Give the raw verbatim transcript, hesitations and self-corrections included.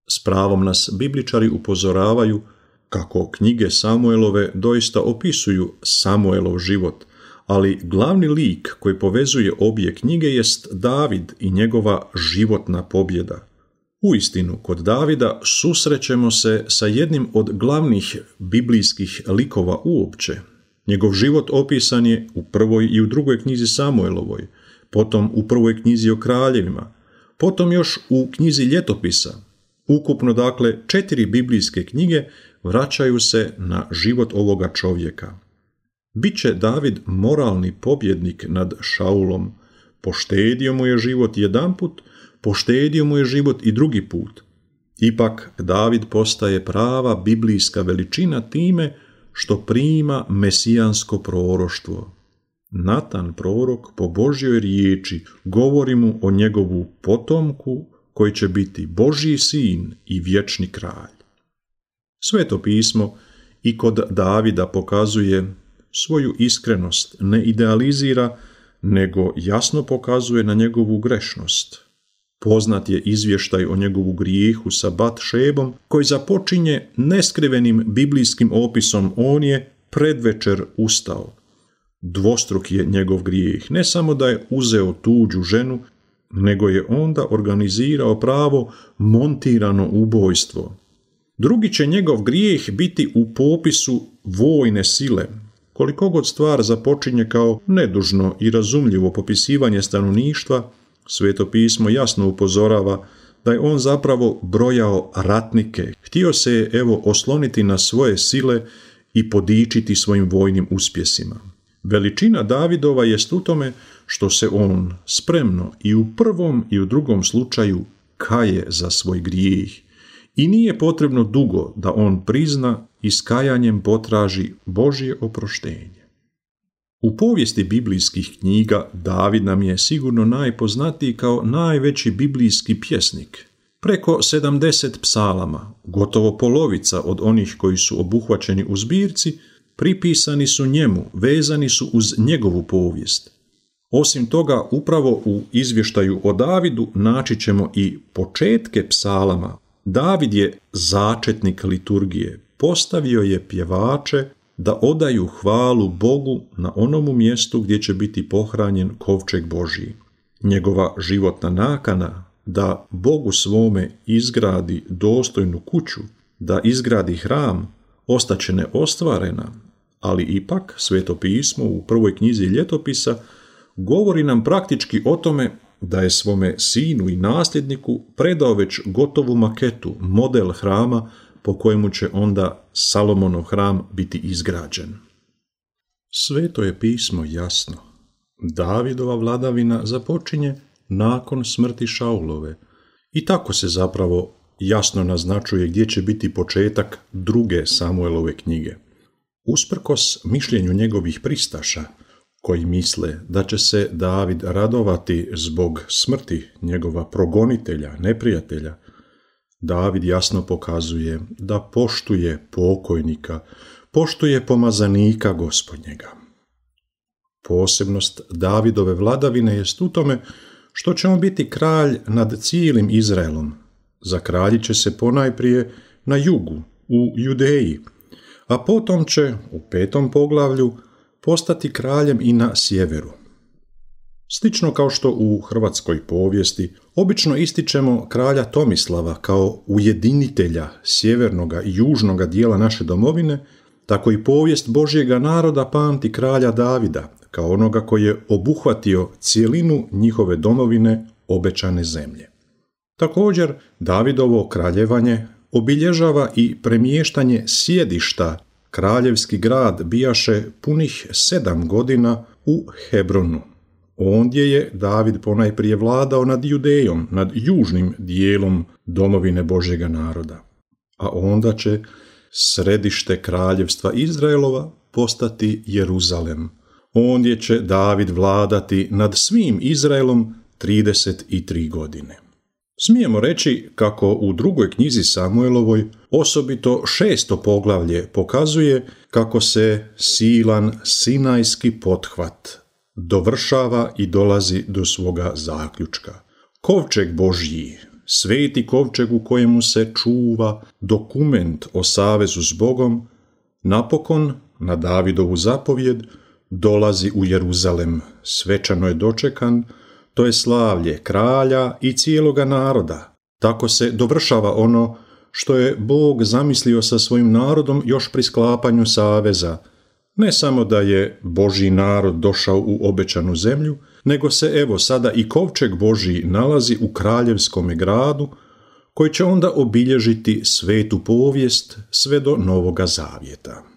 S pravom nas bibličari upozoravaju kako knjige Samuelove doista opisuju Samuelov život, ali glavni lik koji povezuje obje knjige jest David i njegova životna pobjeda. Uistinu, kod Davida susrećemo se sa jednim od glavnih biblijskih likova uopće. Njegov život opisan je u prvoj i u drugoj knjizi Samuelovoj, potom u prvoj knjizi o kraljevima, potom još u knjizi ljetopisa. Ukupno, dakle, četiri biblijske knjige vraćaju se na život ovoga čovjeka. Biće David moralni pobjednik nad Šaulom. Poštedio mu je život jedanput, poštedio mu je život i drugi put. Ipak David postaje prava biblijska veličina time što prima mesijansko proroštvo. Natan prorok po Božjoj riječi govori mu o njegovu potomku koji će biti Božji sin i vječni kralj. Sveto pismo i kod Davida pokazuje svoju iskrenost, ne idealizira, nego jasno pokazuje na njegovu grešnost. Poznat je izvještaj o njegovu grijehu sa Bat-šebom, koji započinje neskrivenim biblijskim opisom: on je predvečer ustao. Dvostruk je njegov grijeh, ne samo da je uzeo tuđu ženu, nego je onda organizirao pravo montirano ubojstvo. Drugi će njegov grijeh biti u popisu vojne sile. Koliko god stvar započinje kao nedužno i razumljivo popisivanje stanovništva, Sveto pismo jasno upozorava da je on zapravo brojao ratnike. Htio se je evo osloniti na svoje sile i podičiti svojim vojnim uspjesima. Veličina Davidova jest u tome što se on spremno i u prvom i u drugom slučaju kaje za svoj grijeh i nije potrebno dugo da on prizna i s kajanjem potraži Božje oproštenje. U povijesti biblijskih knjiga David nam je sigurno najpoznatiji kao najveći biblijski pjesnik. Preko sedamdeset psalama, gotovo polovica od onih koji su obuhvaćeni u zbirci, pripisani su njemu, vezani su uz njegovu povijest. Osim toga, upravo u izvještaju o Davidu naći ćemo i početke psalama. David je začetnik liturgije, postavio je pjevače da odaju hvalu Bogu na onomu mjestu gdje će biti pohranjen kovčeg Božji. Njegova životna nakana da Bogu svome izgradi dostojnu kuću, da izgradi hram, ostaće neostvarena, ali ipak Sveto pismo u prvoj knjizi ljetopisa govori nam praktički o tome da je svome sinu i nasljedniku predao već gotovu maketu, model hrama po kojemu će onda Salomonov hram biti izgrađen. Sveto je pismo jasno. Davidova vladavina započinje nakon smrti Šaulove i tako se zapravo jasno naznačuje gdje će biti početak druge Samuelove knjige. Usprkos mišljenju njegovih pristaša, koji misle da će se David radovati zbog smrti njegova progonitelja, neprijatelja, David jasno pokazuje da poštuje pokojnika, poštuje pomazanika Gospodnjega. Posebnost Davidove vladavine jest u tome što će on biti kralj nad cijelim Izraelom. Zakraljit će se ponajprije na jugu, u Judeji, a potom će u petom poglavlju postati kraljem i na sjeveru. Slično kao što u hrvatskoj povijesti obično ističemo kralja Tomislava kao ujedinitelja sjevernoga i južnoga dijela naše domovine, tako i povijest Božjega naroda pamti kralja Davida kao onoga koji je obuhvatio cijelinu njihove domovine, obećane zemlje. Također, Davidovo kraljevanje obilježava i premještanje sjedišta. Kraljevski grad bijaše punih sedam godina u Hebronu. Ondje je David ponajprije vladao nad Judejom, nad južnim dijelom domovine Božjega naroda. A onda će središte kraljevstva Izraelova postati Jeruzalem. Ondje će David vladati nad svim Izraelom trideset tri godine. Smijemo reći kako u drugoj knjizi Samuelovoj osobito šesto poglavlje pokazuje kako se silan sinajski pothvat dovršava i dolazi do svoga zaključka. Kovčeg Božji, sveti kovčeg u kojemu se čuva dokument o savezu s Bogom, napokon, na Davidovu zapovjed, dolazi u Jeruzalem, svečano je dočekan, to je slavlje kralja i cijeloga naroda. Tako se dovršava ono što je Bog zamislio sa svojim narodom još pri sklapanju saveza, ne samo da je Božji narod došao u obećanu zemlju, nego se evo sada i kovčeg Božji nalazi u kraljevskome gradu, koji će onda obilježiti svetu povijest sve do Novoga Zavjeta.